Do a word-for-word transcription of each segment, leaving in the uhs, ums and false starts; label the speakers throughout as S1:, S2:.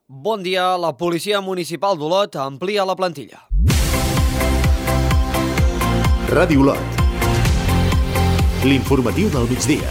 S1: Bon dia, la Policia Municipal d'Olot amplia la plantilla.
S2: Ràdio Olot. L'informatiu del migdia.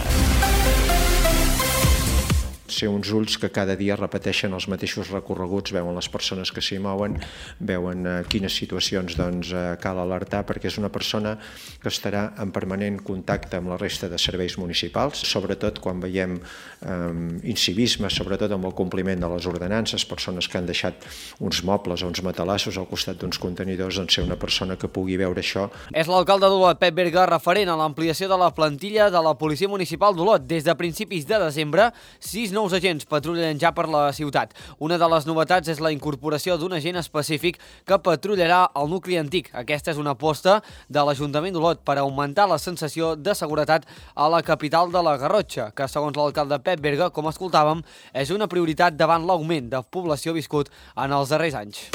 S3: Ser uns ulls que cada dia repeteixen els mateixos recorreguts, veuen les persones que s'hi mouen, veuen eh, quines situacions doncs, eh, cal alertar, perquè és una persona que estarà en permanent contacte amb la resta de serveis municipals, sobretot quan veiem eh, incivisme, sobretot amb el compliment de les ordenances, persones que han deixat uns mobles o uns matalassos al costat d'uns contenidors, doncs ser una persona que pugui veure això.
S1: És l'alcalde d'Olot, Pep Berga, referent a l'ampliació de la plantilla de la Policia Municipal d'Olot. Des de principis de desembre, sis nous agents patrullen ja per la ciutat. Una de les novetats és la incorporació d'un agent específic que patrullarà el nucli antic. Aquesta és una aposta de l'Ajuntament d'Olot per augmentar la sensació de seguretat a la capital de la Garrotxa, que segons l'alcalde Pep Berga, com escoltàvem, és una prioritat davant l'augment de població viscut en els darrers anys.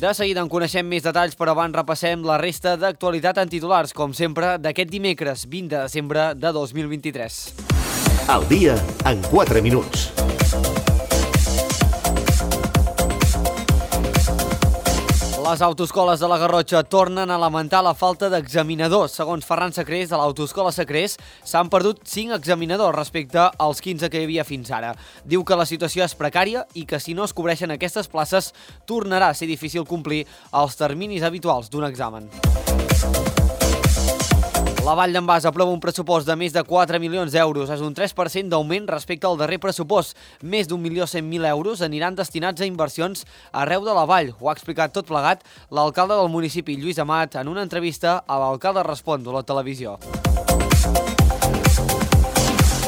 S1: De seguida en coneixem més detalls, però abans repassem la resta d'actualitat en titulars, com sempre, d'aquest dimecres vint de desembre de dos mil vint-i-tres.
S2: Al dia en quatre minuts.
S1: Les autoescoles de la Garrotxa tornen a lamentar la falta d'examinadors. Segons Ferran Sacrés, de l'Autoescola Sacrés, s'han perdut cinc examinadors respecte als quinze que hi havia fins ara. Diu que la situació és precària i que si no es cobreixen aquestes places tornarà a ser difícil complir els terminis habituals d'un examen. La Vall d'en Bas aprova un pressupost de més de quatre milions d'euros. És un tres per cent d'augment respecte al darrer pressupost. Més d'un milió cent mil euros aniran destinats a inversions arreu de la Vall. Ho ha explicat tot plegat l'alcalde del municipi, Lluís Amat, en una entrevista a l'Alcalde Respon de la televisió.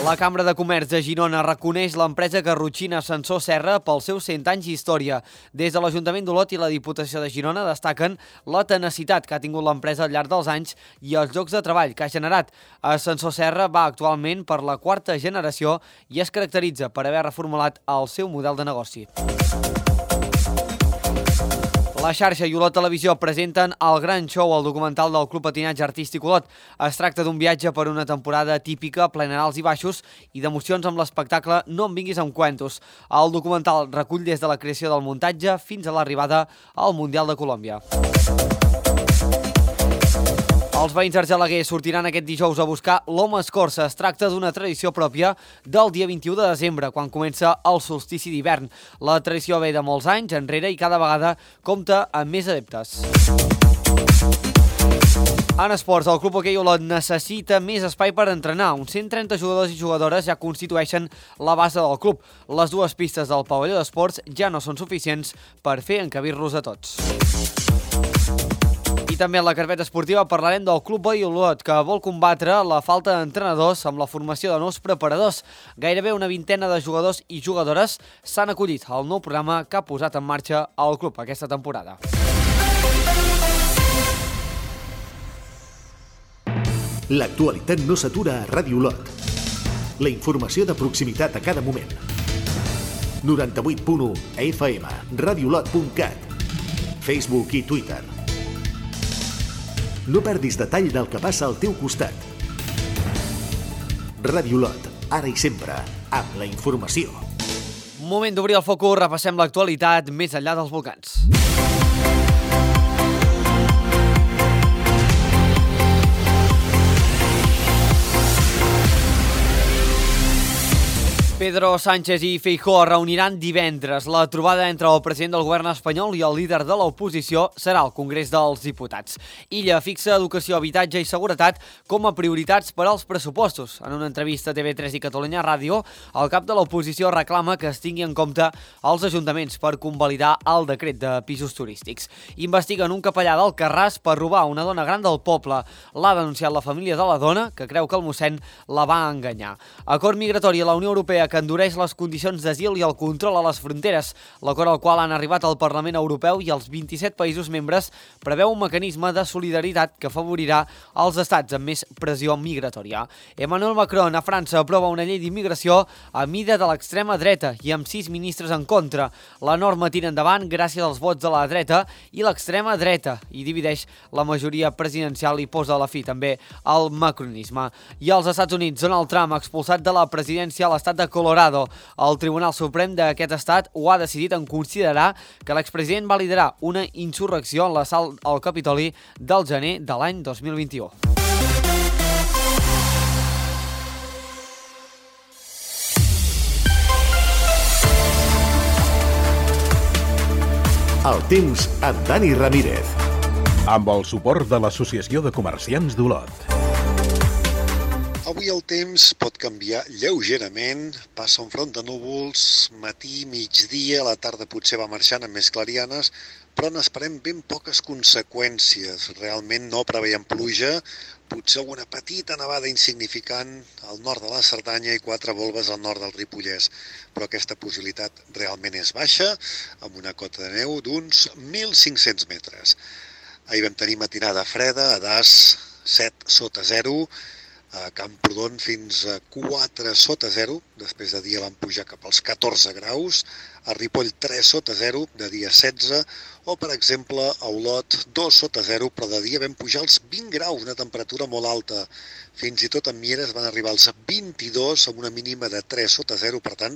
S1: La Cambra de Comerç de Girona reconeix l'empresa garrotxina Ascensor Serra pels seus cent anys d'història. Des de l'Ajuntament d'Olot i la Diputació de Girona destaquen la tenacitat que ha tingut l'empresa al llarg dels anys i els llocs de treball que ha generat. Ascensor Serra va actualment per la quarta generació i es caracteritza per haver reformulat el seu model de negoci. La xarxa i Olot Televisió presenten El Gran Show, el documental del Club Patinatge Artístic Olot. Es tracta d'un viatge per una temporada típica, plena d'alts i baixos i d'emocions amb l'espectacle No em vinguis amb cuentos. El documental recull des de la creació del muntatge fins a l'arribada al Mundial de Colòmbia. Els veïns d'Argelaguer sortiran aquest dijous a buscar l'Home Escorça. Es tracta d'una tradició pròpia del dia vint-i-u de desembre, quan comença el solstici d'hivern. La tradició ve de molts anys enrere i cada vegada compta amb més adeptes. En esports, el Club Hoquei Olot necessita més espai per entrenar. Uns cent trenta jugadors i jugadores ja constitueixen la base del club. Les dues pistes del pavelló d'esports ja no són suficients per fer encabir-los a tots. I també en la carpeta esportiva parlarem del Club Hoquei Olot, que vol combatre la falta d'entrenadors amb la formació de nous preparadors. Gairebé una vintena de jugadors i jugadores s'han acollit al nou programa que ha posat en marxa el club aquesta temporada.
S2: L'actualitat no s'atura a Ràdio Olot. La informació de proximitat a cada moment. noranta-vuit punt u F M, radiolot punt cat, Facebook i Twitter. No perdis detall del que passa al teu costat. Ràdio Olot, ara i sempre, amb la informació.
S1: Moment d'obrir el focus, repassem l'actualitat més enllà dels volcans. Pedro Sánchez i Feijóo reuniran divendres. La trobada entre el president del govern espanyol i el líder de l'oposició serà al Congrés dels Diputats. Illa fixa educació, habitatge i seguretat com a prioritats per als pressupostos. En una entrevista a T V tres i Catalunya Ràdio, el cap de l'oposició reclama que es tingui en compte els ajuntaments per convalidar el decret de pisos turístics. Investiguen un capellà d'Alcarràs per robar una dona gran del poble. L'ha denunciat la família de la dona, que creu que el mossèn la va enganyar. Acord migratori a la Unió Europea que endureix les condicions d'asil i el control a les fronteres. L'acord al qual han arribat el Parlament Europeu i els vint-i-set països membres preveu un mecanisme de solidaritat que afavorirà els estats amb més pressió migratòria. Emmanuel Macron a França aprova una llei d'immigració a mida de l'extrema dreta i amb sis ministres en contra. La norma tira endavant gràcies als vots de la dreta i l'extrema dreta i divideix la majoria presidencial i posa a la fi també el macronisme. I als Estats Units, Donald Trump ha expulsat de la presidència a l'estat de Colorado. El Tribunal Suprem d'aquest estat ho ha decidit en considerar que l'expresident va liderar una insurrecció en l'assalt al Capitoli del gener de l'any dos mil vint-i-u.
S2: El temps amb Dani Ramírez.
S4: Amb el suport de l'Associació de Comerciants d'Olot.
S5: Avui el temps pot canviar lleugerament, passa un front de núvols, matí, migdia, la tarda potser va marxant amb més clarianes, però n'esperem ben poques conseqüències. Realment no preveiem pluja, potser alguna petita nevada insignificant al nord de la Cerdanya i quatre volves al nord del Ripollès, però aquesta possibilitat realment és baixa, amb una cota de neu d'uns mil cinc-cents metres. Ahir vam tenir matinada freda, a Das set sota zero, a Camprodon fins a quatre sota zero, després de dia van pujar cap als catorze graus, a Ripoll tres sota zero, de dia setze, o per exemple a Olot dos sota zero, però de dia vam pujar als vint graus, una temperatura molt alta. Fins i tot a Mieres van arribar als vint-i-dos, amb una mínima de tres sota zero, per tant,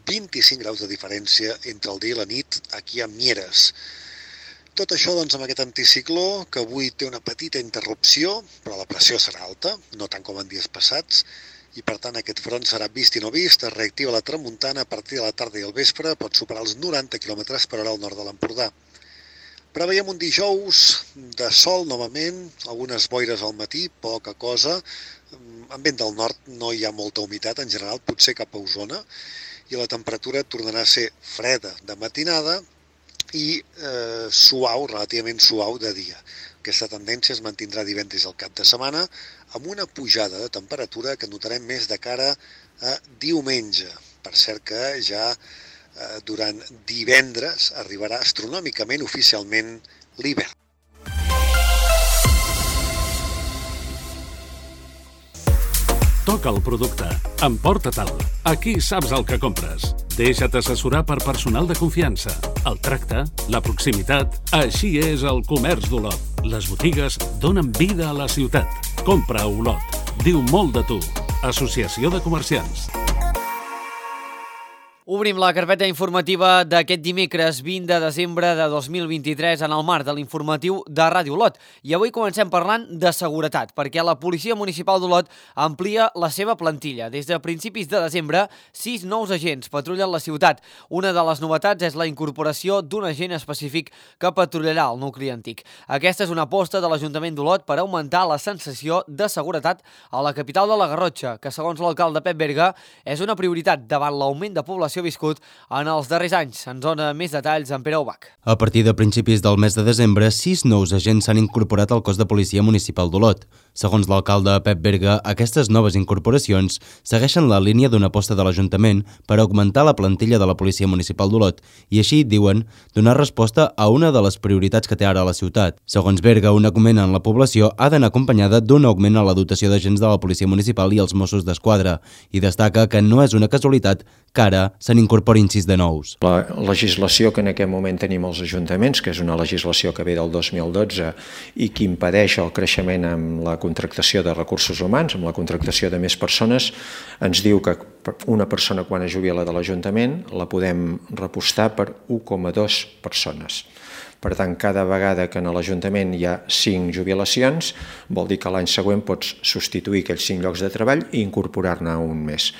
S5: vint-i-cinc graus de diferència entre el dia i la nit aquí a Mieres. Tot això doncs, amb aquest anticicló, que avui té una petita interrupció, però la pressió serà alta, no tant com en dies passats, i per tant aquest front serà vist i no vist, es reactiva la tramuntana a partir de la tarda i el vespre, pot superar els noranta quilòmetres per hora al nord de l'Empordà. Preveiem un dijous de sol novament, algunes boires al matí, poca cosa, en vent del nord no hi ha molta humitat en general, potser cap a Osona, i la temperatura tornarà a ser freda de matinada, i eh, suau, relativament suau de dia. Aquesta tendència es mantindrà divendres al cap de setmana amb una pujada de temperatura que notarem més de cara a diumenge. Per cert que ja eh, durant divendres arribarà astronòmicament oficialment l'hivern.
S4: Toca el producte. Emporta-te'l. Aquí saps el que compres. Deixa't assessorar per personal de confiança. El tracte, la proximitat... Així és el comerç d'Olot. Les botigues donen vida a la ciutat. Compra a Olot. Diu molt de tu. Associació de Comerciants.
S1: Obrim la carpeta informativa d'aquest dimecres vint de desembre de dos mil vint-i-tres en el marc de l'informatiu de Ràdio Olot. I avui comencem parlant de seguretat, perquè la Policia Municipal d'Olot amplia la seva plantilla. Des de principis de desembre, sis nous agents patrullen la ciutat. Una de les novetats és la incorporació d'un agent específic que patrullarà el nucli antic. Aquesta és una aposta de l'Ajuntament d'Olot per augmentar la sensació de seguretat a la capital de la Garrotxa, que segons l'alcalde Pep Berga és una prioritat davant l'augment de població viscut en els darrers anys. Ens dona més detalls en Pere Ubach.
S6: A partir de principis del mes de desembre, sis nous agents s'han incorporat al cos de policia municipal d'Olot. Segons l'alcalde Pep Berga, aquestes noves incorporacions segueixen la línia d'una aposta de l'Ajuntament per augmentar la plantilla de la policia municipal d'Olot i així, diuen, donar resposta a una de les prioritats que té ara la ciutat. Segons Berga, un augment en la població ha d'anar acompanyada d'un augment en la dotació d'agents de la policia municipal i els Mossos d'Esquadra i destaca que no és una casualitat que ara se n'incorporin sis de nous.
S3: La legislació que en aquest moment tenim als ajuntaments, que és una legislació que ve del dos mil dotze i que impedeix el creixement amb la contractació de recursos humans, amb la contractació de més persones, ens diu que una persona quan es jubila de l'Ajuntament la podem repostar per u coma dos persones. Per tant, cada vegada que en l'Ajuntament hi ha cinc jubilacions, vol dir que l'any següent pots substituir aquells cinc llocs de treball i incorporar-ne un més.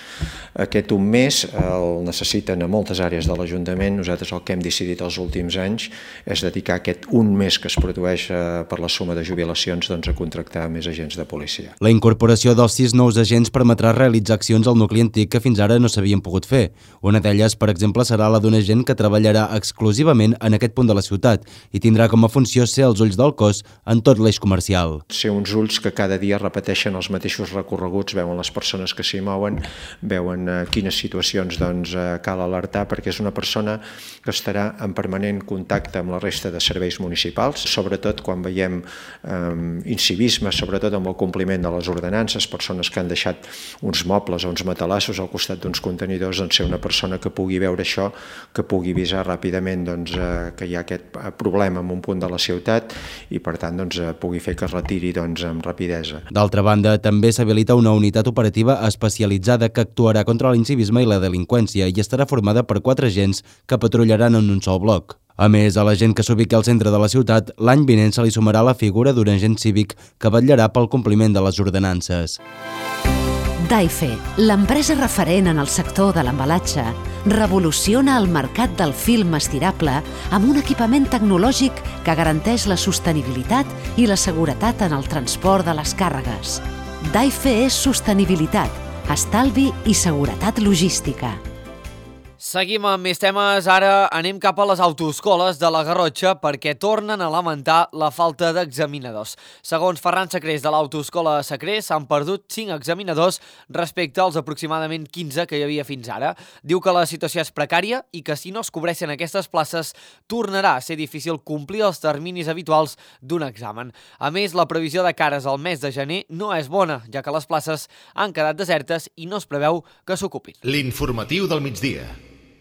S3: Aquest un més el necessiten a moltes àrees de l'Ajuntament. Nosaltres el que hem decidit els últims anys és dedicar aquest un més que es produeix per la suma de jubilacions doncs, a contractar més agents de policia.
S6: La incorporació dels sis nous agents permetrà realitzar accions al nucli antic que fins ara no s'havien pogut fer. Una d'elles, per exemple, serà la d'un agent que treballarà exclusivament en aquest punt de la ciutat i tindrà com a funció ser els ulls del cos en tot l'eix comercial.
S3: Ser uns ulls que cada dia repeteixen els mateixos recorreguts, veuen les persones que s'hi mouen, veuen eh, quines situacions doncs, eh, cal alertar, perquè és una persona que estarà en permanent contacte amb la resta de serveis municipals, sobretot quan veiem eh, incivisme, sobretot amb el compliment de les ordenances, persones que han deixat uns mobles o uns matalassos al costat d'uns contenidors, doncs ser una persona que pugui veure això, que pugui avisar ràpidament doncs, eh, que hi ha aquest problema en un punt de la ciutat i per tant doncs, pugui fer que es retiri doncs, amb rapidesa.
S6: D'altra banda, també s'habilita una unitat operativa especialitzada que actuarà contra l'incivisme i la delinqüència i estarà formada per quatre agents que patrullaran en un sol bloc. A més, a la gent que s'ubiqui al centre de la ciutat, l'any vinent se li sumarà la figura d'un agent cívic que vetllarà pel compliment de les ordenances.
S7: Daife, l'empresa referent en el sector de l'embalatge, revoluciona el mercat del film estirable amb un equipament tecnològic que garanteix la sostenibilitat i la seguretat en el transport de les càrregues. Daife és sostenibilitat, estalvi i seguretat logística.
S1: Seguim amb més temes. Ara anem cap a les autoescoles de la Garrotxa perquè tornen a lamentar la falta d'examinadors. Segons Ferran Sacrés de l'autoescola Sacrés, s'han perdut cinc examinadors respecte als aproximadament quinze que hi havia fins ara. Diu que la situació és precària i que si no es cobreixen aquestes places tornarà a ser difícil complir els terminis habituals d'un examen. A més, la previsió de cares al mes de gener no és bona, ja que les places han quedat desertes i no es preveu que s'ocupin.
S2: L'informatiu del migdia.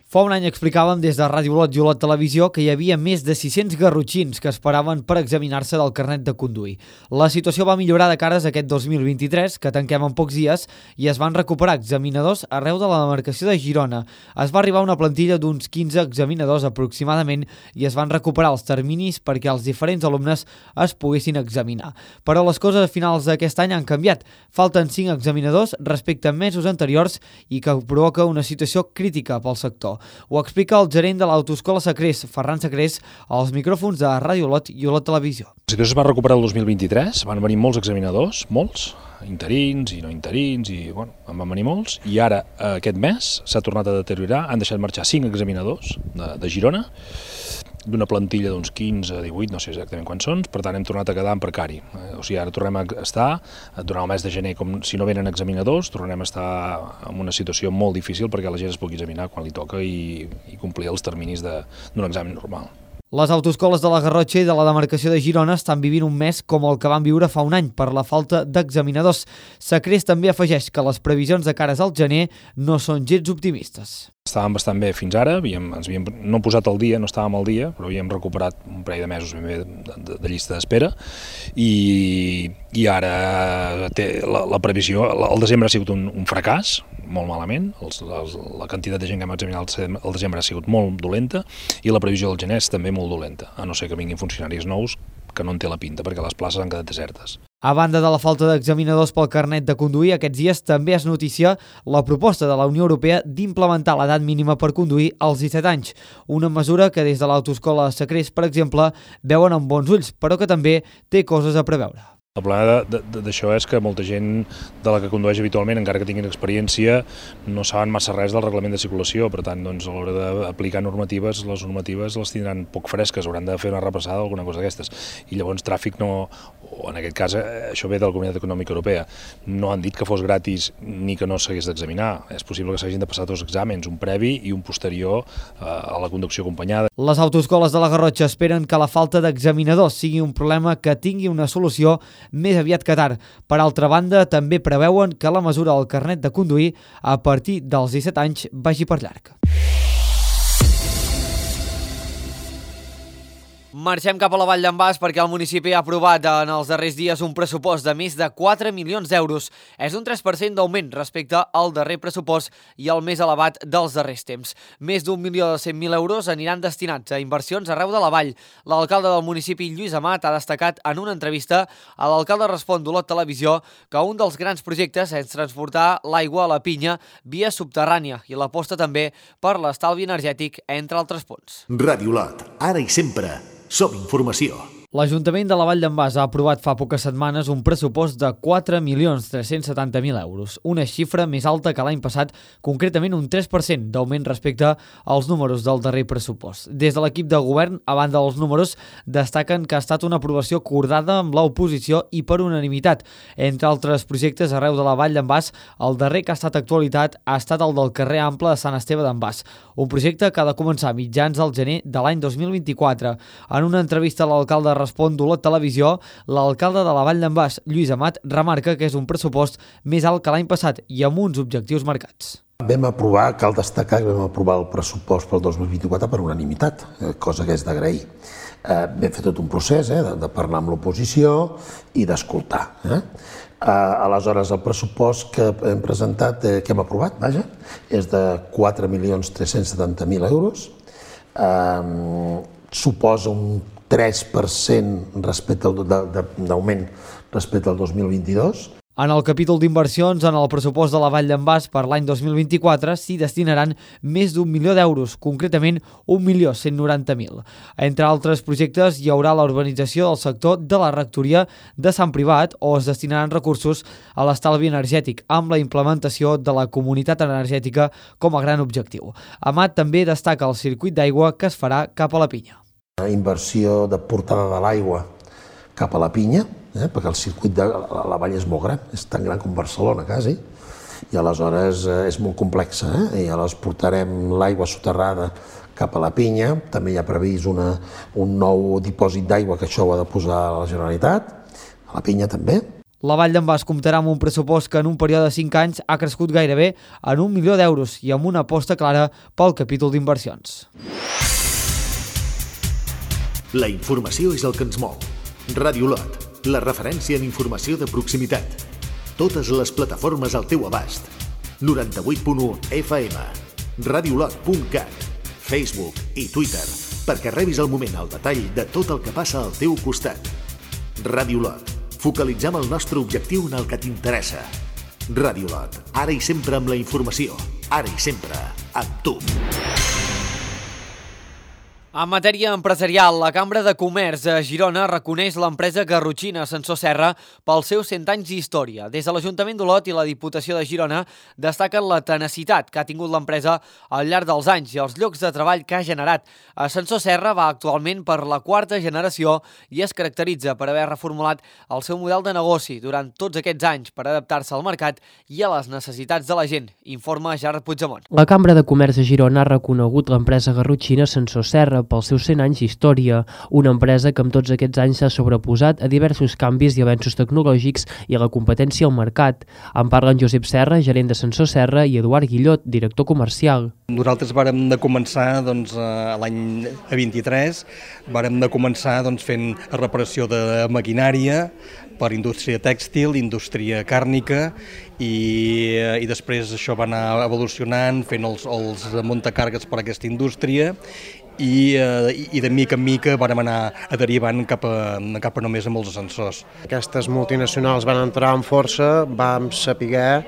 S1: Fa un any explicàvem des de Ràdio Olot i Olot Televisió que hi havia més de sis-cents garrotxins que esperaven per examinar-se del carnet de conduir. La situació va millorar de cares a aquest dos mil vint-i-tres, que tanquem en pocs dies, i es van recuperar examinadors arreu de la demarcació de Girona. Es va arribar a una plantilla d'uns quinze examinadors aproximadament i es van recuperar els terminis perquè els diferents alumnes es poguessin examinar. Però les coses a finals d'aquest any han canviat. Falten cinc examinadors respecte a mesos anteriors i que provoca una situació crítica pel sector. Ho explica el gerent de l'autoescola Sacrés, Ferran Sacrés, als micròfons de Ràdio Olot i Olot Televisió.
S8: La situació es va recuperar el dos mil vint-i-tres, van venir molts examinadors, molts, interins i no interins, i bueno, en van venir molts, i ara aquest mes s'ha tornat a deteriorar, han deixat marxar cinc examinadors de, de Girona, d'una plantilla d'uns quinze a divuit, no sé exactament quants són, per tant hem tornat a quedar en precari. O sigui, ara tornem a estar, durant el mes de gener, com si no venen examinadors, tornem a estar en una situació molt difícil perquè la gent es pugui examinar quan li toca i, i complir els terminis d'un examen normal.
S1: Les autoescoles de la Garrotxa i de la demarcació de Girona estan vivint un mes com el que van viure fa un any per la falta d'examinadors. Sacrés també afegeix que les previsions de cares al gener no són gens optimistes.
S8: Estàvem bastant bé fins ara, havíem, ens havíem no posat al dia, no estàvem al dia, però havíem recuperat un parell de mesos ben bé de, de, de llista d'espera i, i ara té la, la previsió, el desembre ha sigut un, un fracàs, molt malament, els, els, la quantitat de gent que hem examinat el desembre ha sigut molt dolenta i la previsió del gener és també molt dolenta, a no ser que vinguin funcionaris nous que no en té la pinta perquè les places han quedat desertes.
S1: A banda de la falta d'examinadors pel carnet de conduir, aquests dies també es noticia la proposta de la Unió Europea d'implementar l'edat mínima per conduir als disset anys, una mesura que des de l'autoescola Sacrés, per exemple, veuen amb bons ulls, però que també té coses a preveure.
S8: El problema d'això és que molta gent de la que condueix habitualment, encara que tinguin experiència, no saben massa res del reglament de circulació, per tant, doncs, a l'hora d'aplicar normatives, les normatives les tindran poc fresques, hauran de fer una repassada o alguna cosa d'aquestes. I llavors tràfic no, o en aquest cas això ve de la Comunitat Econòmica Europea, no han dit que fos gratis ni que no s'hagués d'examinar. És possible que s'hagin de passar dos exàmens, un previ i un posterior a la conducció acompanyada.
S1: Les autoescoles de la Garrotxa esperen que la falta d'examinadors sigui un problema que tingui una solució més aviat que tard. Per altra banda, també preveuen que la mesura del carnet de conduir a partir dels disset anys vagi per llarg. Marxem cap a la Vall d'en Bas perquè el municipi ha aprovat en els darrers dies un pressupost de més de quatre milions d'euros. És un tres per cent d'augment respecte al darrer pressupost i el més elevat dels darrers temps. Més d'un milió de cent mil euros aniran destinats a inversions arreu de la Vall. L'alcalde del municipi, Lluís Amat, ha destacat en una entrevista a l'alcalde Respon d'Olot Televisió que un dels grans projectes és transportar l'aigua a la pinya via subterrània i l'aposta també per l'estalvi energètic, entre altres punts.
S2: Ràdio Olot, ara i sempre. Som informació.
S1: L'Ajuntament de la Vall d'en Bas ha aprovat fa poques setmanes un pressupost de quatre milions tres-cents setanta mil euros, una xifra més alta que l'any passat, concretament un tres per cent d'augment respecte als números del darrer pressupost. Des de l'equip de govern, a banda dels números, destaquen que ha estat una aprovació acordada amb l'oposició i per unanimitat. Entre altres projectes arreu de la Vall d'en Bas, el darrer que ha estat actualitat ha estat el del carrer Ample de Sant Esteve d'en Bas, un projecte que ha de començar a mitjans del gener de l'any dos mil vint-i-quatre. En una entrevista a l'alcalde Respon d'Olot Televisió, l'alcalde de la Vall d'en Bas, Lluís Amat, remarca que és un pressupost més alt que l'any passat i amb uns objectius marcats.
S9: Vam aprovar, cal destacar que vam aprovar el pressupost pel dos mil vint-i-quatre per unanimitat, cosa que és d'agrair. Eh, vam fer tot un procés eh, de, de parlar amb l'oposició i d'escoltar. Eh? Eh, aleshores, el pressupost que hem presentat, eh, que hem aprovat, vaja, és de quatre milions tres-cents setanta mil euros, eh, suposa un tres per cent respecte al, d'augment respecte al dos mil vint-i-dos.
S1: En el capítol d'inversions, en el pressupost de la Vall d'en Bas per l'any dos mil vint-i-quatre s'hi destinaran més d'un milió d'euros, concretament un milió cent noranta mil. Entre altres projectes hi haurà la urbanització del sector de la rectoria de Sant Privat, o es destinaran recursos a l'estalvi energètic, amb la implementació de la comunitat energètica com a gran objectiu. Amat també destaca el circuit d'aigua que es farà cap a la Pinya.
S9: La inversió de portada de l'aigua cap a la Pinya, eh, perquè el circuit de la, la vall és molt gran, és tan gran com Barcelona, quasi, i aleshores eh, és molt complexa, eh? I aleshores portarem l'aigua soterrada cap a la Pinya, també hi ha previst una, un nou dipòsit d'aigua que això ho ha de posar a la Generalitat, a la Pinya també.
S1: La Vall d'en Bas comptarà amb un pressupost que en un període de cinc anys ha crescut gairebé en un milió d'euros i amb una aposta clara pel capítol d'inversions.
S2: La informació és el que ens mou. Ràdio Lot, la referència en informació de proximitat. Totes les plataformes al teu abast. noranta-vuit punt u F M, radiolot punt cat, Facebook i Twitter, perquè rebis al moment el detall de tot el que passa al teu costat. Ràdio Lot, focalitzem el nostre objectiu en el que t'interessa. Ràdio Lot, ara i sempre amb la informació, ara i sempre amb tu.
S1: En matèria empresarial, la Cambra de Comerç de Girona reconeix l'empresa garrotxina Ascensor Serra pels seus cent anys d'història. Des de l'Ajuntament d'Olot i la Diputació de Girona destaquen la tenacitat que ha tingut l'empresa al llarg dels anys i els llocs de treball que ha generat. Ascensor Serra va actualment per la quarta generació i es caracteritza per haver reformulat el seu model de negoci durant tots aquests anys per adaptar-se al mercat i a les necessitats de la gent, informa Gerard Puigdemont.
S10: La Cambra de Comerç de Girona ha reconegut l'empresa garrotxina Ascensor Serra pels seus cent anys d'història, una empresa que amb tots aquests anys s'ha sobreposat a diversos canvis i avenços tecnològics i a la competència al mercat. En parlen Josep Serra, gerent d'Ascensor Serra, i Eduard Guillot, director comercial.
S11: Nosaltres vàrem de començar doncs, l'any vint-i-tres, vàrem de començar doncs, fent reparació de maquinària per indústria tèxtil, indústria càrnica, i, i després això va anar evolucionant, fent els, els muntacargues per a aquesta indústria, i, i de mica en mica vam anar derivant cap a, cap a només amb els ascensors.
S12: Aquestes multinacionals van entrar amb força, vam saber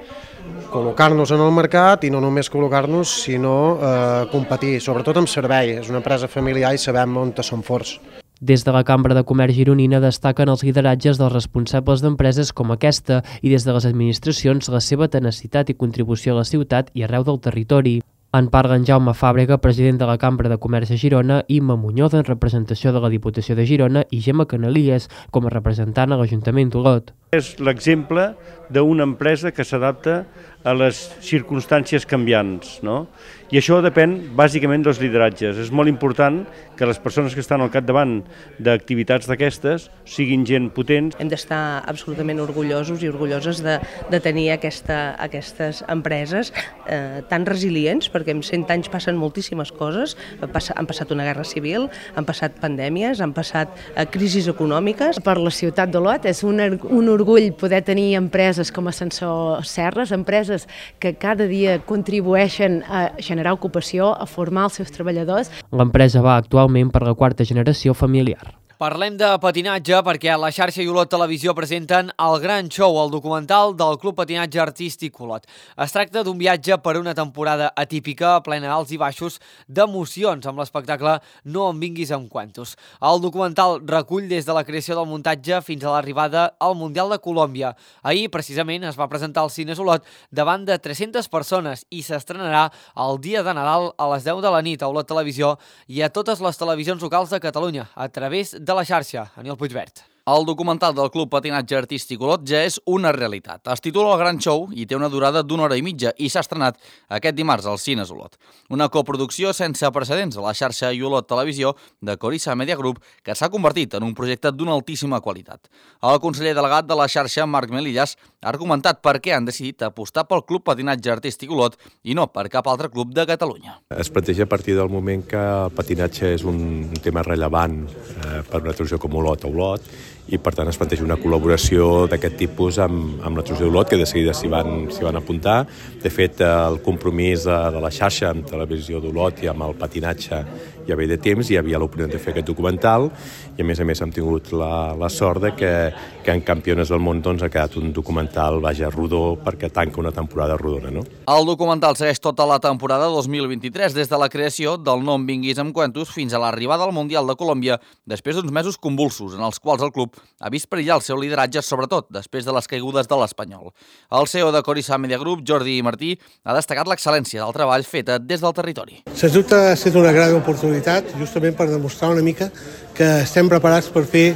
S12: col·locar-nos en el mercat i no només col·locar-nos, sinó eh, competir, sobretot amb servei. És una empresa familiar i sabem on som forts.
S10: Des de la Cambra de Comerç gironina destaquen els lideratges dels responsables d'empreses com aquesta i des de les administracions la seva tenacitat i contribució a la ciutat i arreu del territori. En parlen Jaume Fàbrega, president de la Cambra de Comerç de Girona, Imma Muñoz, en representació de la Diputació de Girona, i Gemma Canalies, com a representant a l'Ajuntament d'Olot.
S13: És l'exemple d'una empresa que s'adapta a les circumstàncies canviants, no? I això depèn bàsicament dels lideratges. És molt important que les persones que estan al capdavant d'activitats d'aquestes siguin gent potent.
S14: Hem d'estar absolutament orgullosos i orgulloses de, de tenir aquesta, aquestes empreses eh, tan resilients, perquè en cent anys passen moltíssimes coses. Han passat una guerra civil, han passat pandèmies, han passat eh, crisis econòmiques.
S15: Per la ciutat d'Olot és un, un orgull poder tenir empreses com Ascensor Serres, empreses que cada dia contribueixen a generar ocupació, a formar els seus treballadors.
S10: L'empresa va actualment per la quarta generació familiar.
S1: Parlem de patinatge perquè a la xarxa i Olot Televisió presenten El Gran Show, el documental del Club Patinatge Artístic Olot. Es tracta d'un viatge per una temporada atípica, plena alts i baixos, d'emocions amb l'espectacle No em vinguis amb cuentos. El documental recull des de la creació del muntatge fins a l'arribada al Mundial de Colòmbia. Ahir, precisament, es va presentar als Cines Olot davant de tres-centes persones i s'estrenarà el dia de Nadal a les deu de la nit a Olot Televisió i a totes les televisions locals de Catalunya a través de de la xarxa. Aniol Puigvert.
S16: El documental del Club Patinatge Artístic Olot ja és una realitat. Es titula El Gran Show i té una durada d'una hora i mitja i s'ha estrenat aquest dimarts als Cines Olot. Una coproducció sense precedents a la xarxa i Olot Televisió de Corissa Media Group que s'ha convertit en un projecte d'una altíssima qualitat. El conseller delegat de la xarxa, Marc Melillas, ha argumentat per què han decidit apostar pel Club Patinatge Artístic Olot i no per cap altre club de Catalunya.
S17: Es planteja a partir del moment que el patinatge és un tema rellevant eh, per una televisió com Olot a Olot i per tant es planteja una col·laboració d'aquest tipus amb, amb la televisió d'Olot, que de seguida s'hi van, s'hi van apuntar. De fet, el compromís de la xarxa amb televisió d'Olot i amb el patinatge ja ve de temps, hi havia l'oportunitat de fer aquest documental i a més a més hem tingut la, la sort de que, que en Campiones del Món doncs, ha quedat un documental vaja rodó perquè tanca una temporada rodona. No?
S16: El documental segueix tota la temporada dos mil vint-i-tres, des de la creació del No em vinguis amb cuentos fins a l'arribada al Mundial de Colòmbia, després d'uns mesos convulsos en els quals el club ha vist perillar el seu lideratge, sobretot després de les caigudes de l'Espanyol. El C E O de Corissa Media Group, Jordi Martí, ha destacat l'excel·lència del treball feta des del territori.
S18: Sens dubte ha estat una gran oportunitat, justament per demostrar una mica que estem preparats per fer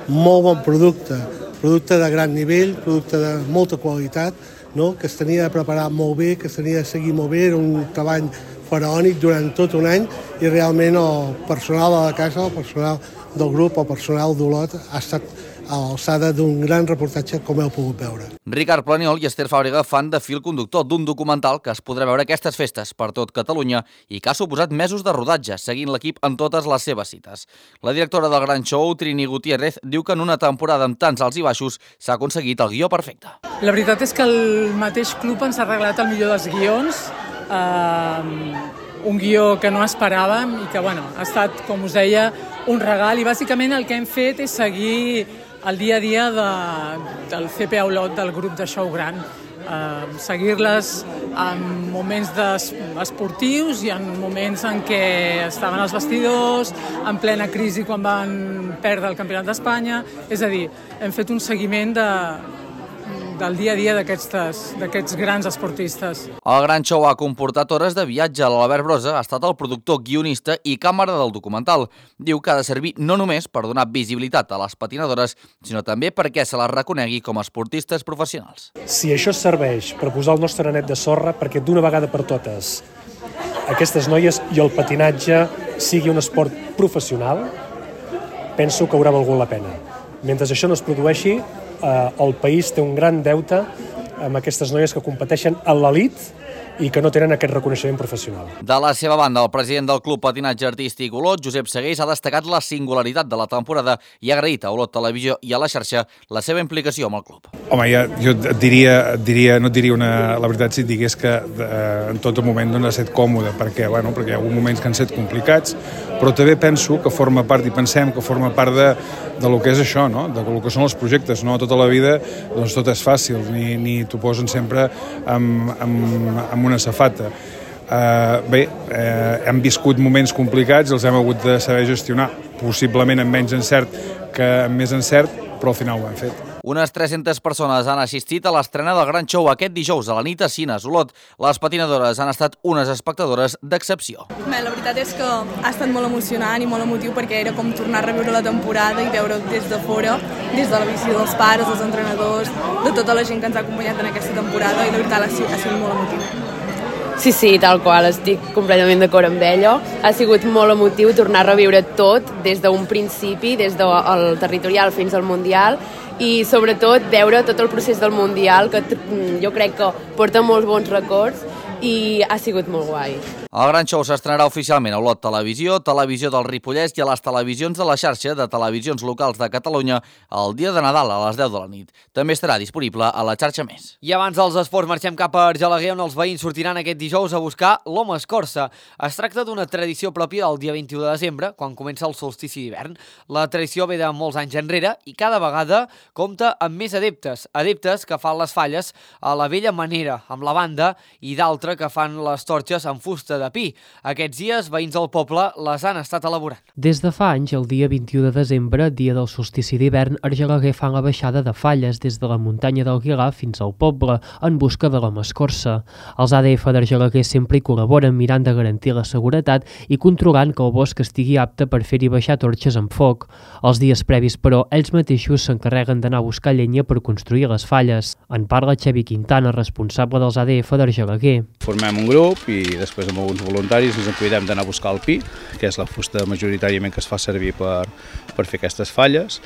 S18: molt bon producte, producte de gran nivell, producte de molta qualitat, no? Que es tenia de preparar molt bé, que es tenia de seguir molt bé, era un treball faraònic durant tot un any i realment el personal de la casa, el personal del grup, el personal d'Olot ha estat a l'alçada d'un gran reportatge com heu pogut veure.
S16: Ricard Planiol i Esther Fàbrega fan de fil conductor d'un documental que es podrà veure aquestes festes per tot Catalunya i que ha suposat mesos de rodatge, seguint l'equip en totes les seves cites. La directora del Gran Show, Trini Gutiérrez, diu que en una temporada amb tants alts i baixos s'ha aconseguit el guió perfecte.
S19: La veritat és que el mateix club ens ha regalat el millor dels guions, eh, un guió que no esperàvem i que bueno, ha estat, com us deia, un regal i bàsicament el que hem fet és seguir el dia a dia de, del C P A Olot, del grup de Show Gran. Eh, seguir-les en moments esportius i en moments en què estaven als vestidors, en plena crisi quan van perdre el Campionat d'Espanya. És a dir, hem fet un seguiment de, del dia a dia d'aquests grans esportistes.
S16: El Gran Show ha comportat hores de viatge. L'Albert Brosa ha estat el productor, guionista i càmera del documental. Diu que ha de servir no només per donar visibilitat a les patinadores, sinó també perquè se les reconegui com a esportistes professionals.
S20: Si això serveix per posar el nostre granet de sorra perquè d'una vegada per totes aquestes noies i el patinatge sigui un esport professional, penso que haurà valgut la pena. Mentre això no es produeixi, el país té un gran deute amb aquestes noies que competeixen a l'elit i que no tenen aquest reconeixement professional.
S16: De la seva banda, el president del Club Patinatge Artístic Olot, Josep Segués, ha destacat la singularitat de la temporada i ha agraït a Olot Televisió i a la xarxa la seva implicació amb el club.
S21: Home, ja, jo et diria, et diria, no et diria una, la veritat si et digués que eh, en tot moment no ha estat còmode, perquè, bueno, perquè hi ha hagut moments que han estat complicats, però també penso que forma part, i pensem que forma part de, de lo que és això, no? De lo que són els projectes, no? Tota la vida doncs tot és fàcil, ni, ni t'ho posen sempre amb, amb, amb una safata. Uh, bé, uh, hem viscut moments complicats, els hem hagut de saber gestionar, possiblement amb menys encert que amb més encert, però al final ho hem fet.
S16: Unes tres-centes persones han assistit a l'estrena del Gran Show aquest dijous a la nit a Cines Olot. Les patinadores han estat unes espectadores d'excepció.
S22: Bé, la veritat és que ha estat molt emocionant i molt emotiu perquè era com tornar a reviure la temporada i veure des de fora, des de la visió dels pares, dels entrenadors, de tota la gent que ens ha acompanyat en aquesta temporada i la veritat ha sigut, ha sigut molt emotiu.
S23: Sí, sí, tal qual, estic completament d'acord amb ella. Ha sigut molt emotiu tornar a reviure tot des d'un principi, des del territorial fins al Mundial i sobretot veure tot el procés del Mundial, que jo crec que porta molts bons records i ha sigut molt guai.
S16: El Gran Show s'estrenarà oficialment a Olot Televisió, Televisió del Ripollès i a les televisions de la xarxa de televisions locals de Catalunya el dia de Nadal a les deu de la nit. També estarà disponible a la xarxa Més.
S1: I abans dels esports marxem cap a Argelaguer, on els veïns sortiran aquest dijous a buscar l'Home Escorça. Es tracta d'una tradició pròpia del dia vint-i-u de desembre, quan comença el solstici d'hivern. La tradició ve de molts anys enrere i cada vegada compta amb més adeptes. Adeptes que fan les falles a la vella manera, amb la banda, i d'altres que fan les torxes amb fusta de pi. Aquests dies, veïns del poble les han estat elaborant.
S10: Des de fa anys, el dia vint-i-u de desembre, dia del solstici d'hivern, Argelaguer fan la baixada de falles des de la muntanya d'Alguilar fins al poble, en busca de la mascorça. Els A D F d'Argelaguer sempre hi col·laboren mirant de garantir la seguretat i controlant que el bosc estigui apte per fer-hi baixar torxes amb foc. Els dies previs, però, ells mateixos s'encarreguen d'anar a buscar llenya per construir les falles. En parla Xavi Quintana, responsable dels A D F d'Argelaguer.
S3: Formem un grup i després amb alguns voluntaris ens en cuidem d'anar a buscar el pi, que és la fusta majoritàriament que es fa servir per, per fer aquestes falles.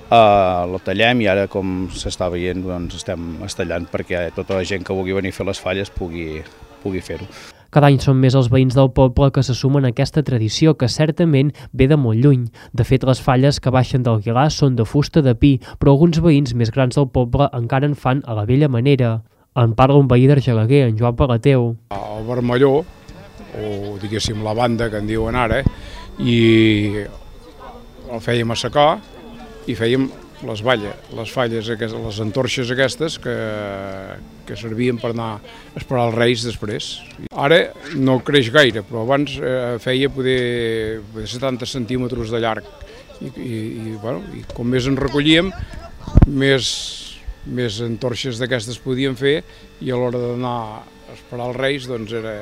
S3: Uh, lo tallem i ara, com s'està veient, doncs estem estallant perquè tota la gent que vulgui venir a fer les falles pugui, pugui fer-ho.
S10: Cada any són més els veïns del poble que se sumen a aquesta tradició que certament ve de molt lluny. De fet, les falles que baixen d'Alguilar són de fusta de pi, però alguns veïns més grans del poble encara en fan a la vella manera. En parla un veí d'Argelaguer, en Joan Pagateu.
S21: El vermelló, o diguéssim la banda que en diuen ara, i el fèiem a secar i fèiem les valles, les falles, les antorxes aquestes que, que servien per anar a esperar els Reis després. Ara no creix gaire, però abans eh, feia poder, poder setanta centímetres de llarg i, i, i, bueno, i com més en recollíem, més, més antorxes d'aquestes podíem fer i a l'hora d'anar a esperar els Reis doncs era...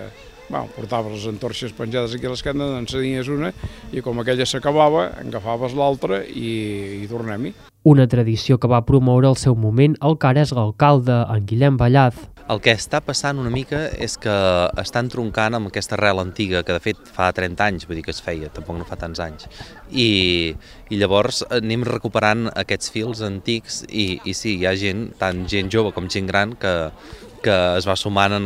S21: Bueno, portaves les antorxes penjades aquí a l'esquena, n'encenies una i com aquella s'acabava, agafaves l'altra i, i tornem-hi.
S10: Una tradició que va promoure al seu moment el que ara és l'alcalde, en Guillem Ballaz.
S4: El que està passant una mica és que estan troncant amb aquesta arrel antiga, que de fet fa trenta anys, vull dir que es feia, tampoc no fa tants anys. I, i llavors anem recuperant aquests fils antics i, i sí, hi ha gent, tant gent jove com gent gran, que que es va sumant a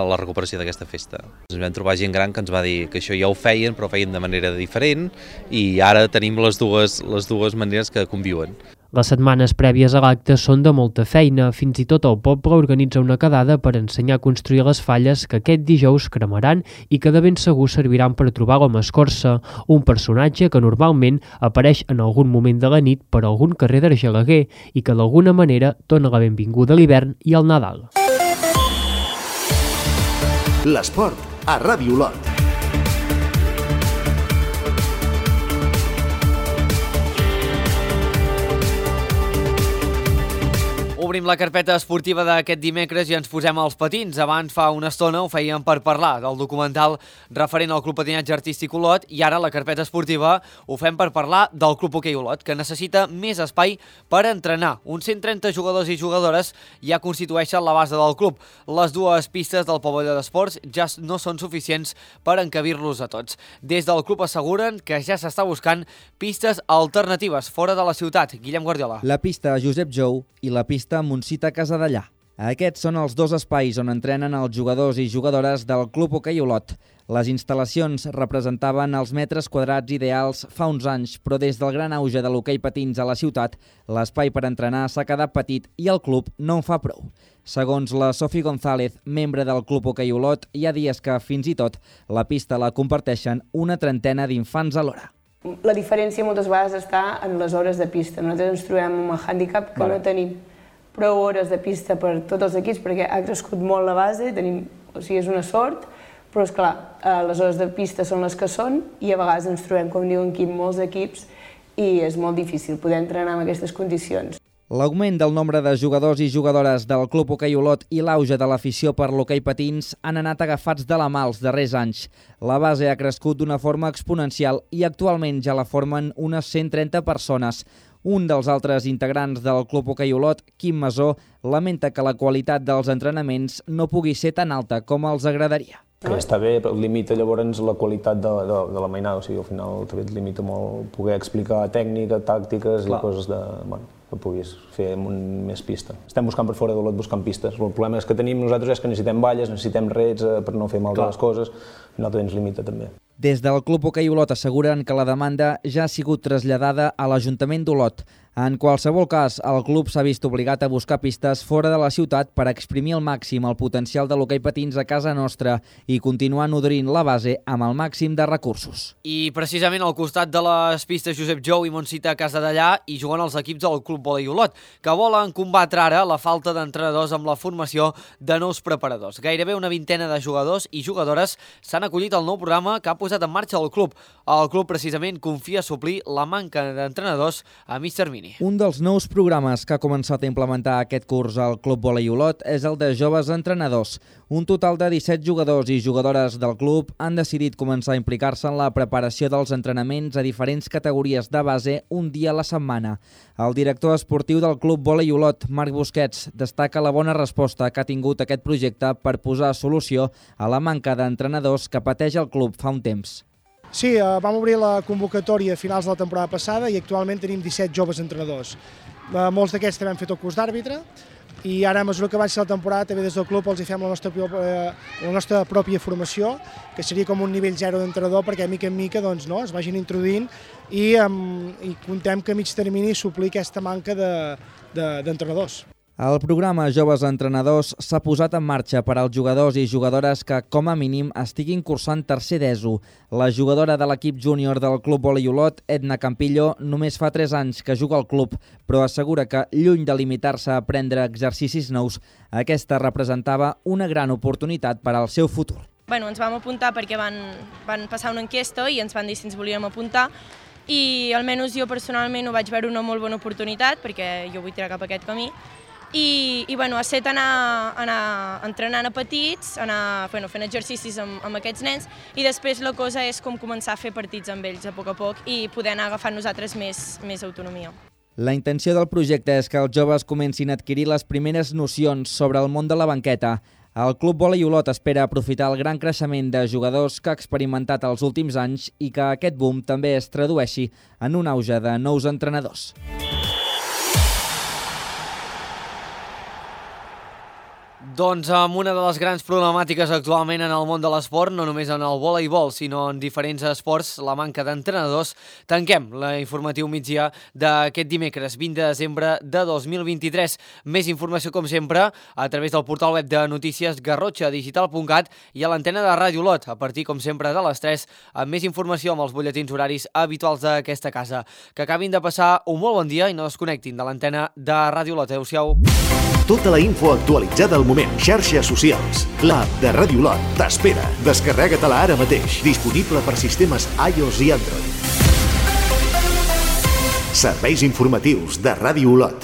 S4: la recuperació d'aquesta festa. Ens vam trobar gent gran que ens va dir que això ja ho feien, però ho feien de manera diferent i ara tenim les dues, les dues maneres que conviuen.
S10: Les setmanes prèvies a l'acte són de molta feina. Fins i tot el poble organitza una quedada per ensenyar a construir les falles que aquest dijous cremaran i que de ben segur serviran per trobar la mascorça, un personatge que normalment apareix en algun moment de la nit per algun carrer d'Argelaguer i que d'alguna manera dona la benvinguda a l'hivern i al Nadal.
S2: L'esport a Ràdio Olot.
S1: Obrim la carpeta esportiva d'aquest dimecres i ens posem als patins. Abans, fa una estona, ho fèiem per parlar del documental referent al Club Patinatge Artístic Olot i ara la carpeta esportiva ho fem per parlar del Club Hoquei Olot, que necessita més espai per entrenar. Uns cent trenta jugadors i jugadores ja constitueixen la base del club. Les dues pistes del pavelló d'esports ja no són suficients per encabir-los a tots. Des del club asseguren que ja s'està buscant pistes alternatives fora de la ciutat. Guillem Guardiola.
S5: La pista Josep Jou i la pista Montsita Casadellà. Aquests són els dos espais on entrenen els jugadors i jugadores del Club Hoquei Olot. Les instal·lacions representaven els metres quadrats ideals fa uns anys, però des del gran auge de l'hoquei patins a la ciutat, l'espai per entrenar s'ha quedat petit i el club no en fa prou. Segons la Sofi González, membre del Club Hoquei Olot, hi ha dies que, fins i tot, la pista la comparteixen una trentena d'infants alhora.
S24: La diferència moltes vegades està en les hores de pista. Nosaltres ens trobem amb el hàndicap que vale. No tenim prou hores de pista per tots els equips perquè ha crescut molt la base, tenim, o sigui, és una sort, però és clar, les hores de pista són les que són i a vegades ens trobem, com diuen aquí, molts equips i és molt difícil poder entrenar en aquestes condicions.
S5: L'augment del nombre de jugadors i jugadores del Club Hoquei Olot i l'auge de l'afició per l'hoquei patins han anat agafats de la mà els darrers anys. La base ha crescut d'una forma exponencial i actualment ja la formen unes cent trenta persones. Un dels altres integrants del Club Hoquei Olot, Quim Masó, lamenta que la qualitat dels entrenaments no pugui ser tan alta com els agradaria.
S25: Que està bé, però limita llavors la qualitat de, de, de la mainada, o sigui, al final també et limita molt poder explicar tècnica, tàctiques Clar. I coses de, bueno, que puguis fer amb més pista. Estem buscant per fora d'Olot buscant pistes. El problema és que tenim nosaltres és que necessitem valles, necessitem rets per no fer mal de les coses, i nosaltres ens limita també.
S5: Des del Club Hoquei Olot asseguren que la demanda ja ha sigut traslladada a l'Ajuntament d'Olot. En qualsevol cas, el club s'ha vist obligat a buscar pistes fora de la ciutat per exprimir al màxim el potencial de l'hoquei patins a casa nostra i continuar nodrint la base amb el màxim de recursos.
S1: I precisament al costat de les pistes Josep Jou i Montsita Casadellà hi juguen els equips del Club Hoquei Olot, que volen combatre ara la falta d'entrenadors amb la formació de nous preparadors. Gairebé una vintena de jugadors i jugadores s'han acollit al nou programa que ha posat en marxa el club. El club precisament confia suplir la manca d'entrenadors a mig termini.
S5: Un dels nous programes que ha començat a implementar aquest curs al Club Hoquei Olot és el de joves entrenadors. Un total de disset jugadors i jugadores del club han decidit començar a implicar-se en la preparació dels entrenaments a diferents categories de base un dia a la setmana. El director esportiu del Club Hoquei Olot, Marc Busquets, destaca la bona resposta que ha tingut aquest projecte per posar solució a la manca d'entrenadors que pateix el club fa un temps.
S6: Sí, eh, vam obrir la convocatòria a finals de la temporada passada i actualment tenim disset joves entrenadors. Eh, molts d'aquests també han fet el curs d'àrbitre i ara, a mesura que avanci la temporada, també des del club els hi fem la nostra, eh, la nostra pròpia formació, que seria com un nivell zero d'entrenador, perquè mica en mica doncs, no, es vagin introduint i, um, i contem que a mig termini suplir aquesta manca d'entrenadors. De, de,
S5: El programa Joves Entrenadors s'ha posat en marxa per als jugadors i jugadores que, com a mínim, estiguin cursant tercer d'ESO. La jugadora de l'equip júnior del Club Hoquei Olot, Edna Campillo, només fa tres anys que juga al club, però assegura que, lluny de limitar-se a aprendre exercicis nous, aquesta representava una gran oportunitat per al seu futur.
S7: Bueno, ens vam apuntar perquè van, van passar una enquesta i ens van dir si ens volíem apuntar i almenys jo personalment ho vaig veure una molt bona oportunitat perquè jo vull tirar cap a aquest camí. I, i bueno, ha estat anar, anar entrenant a petits, anar bueno, fent exercicis amb, amb aquests nens i després la cosa és com començar a fer partits amb ells a poc a poc i poder anar agafant nosaltres més, més autonomia.
S5: La intenció del projecte és que els joves comencin a adquirir les primeres nocions sobre el món de la banqueta. El Club Hoquei Olot espera aprofitar el gran creixement de jugadors que ha experimentat els últims anys i que aquest boom també es tradueixi en un auge de nous entrenadors.
S1: Doncs amb una de les grans problemàtiques actualment en el món de l'esport, no només en el voleibol, sinó en diferents esports, la manca d'entrenadors, tanquem l'informatiu migdia d'aquest dimecres, vint de desembre de dos mil vint-i-tres. Més informació, com sempre, a través del portal web de notícies garrotxa digital punt cat i a l'antena de Ràdio Olot, a partir, com sempre, de les tres, amb més informació amb els butlletins horaris habituals d'aquesta casa. Que acabin de passar un molt bon dia i no desconnectin de l'antena de Ràdio Olot. Adéu-siau.
S2: Tota la info actualitzada al moment. Xarxes socials. L'app de Ràdio Olot t'espera. Descarrega-te-la ara mateix. Disponible per sistemes iOS i Android. Serveis informatius de Ràdio Olot.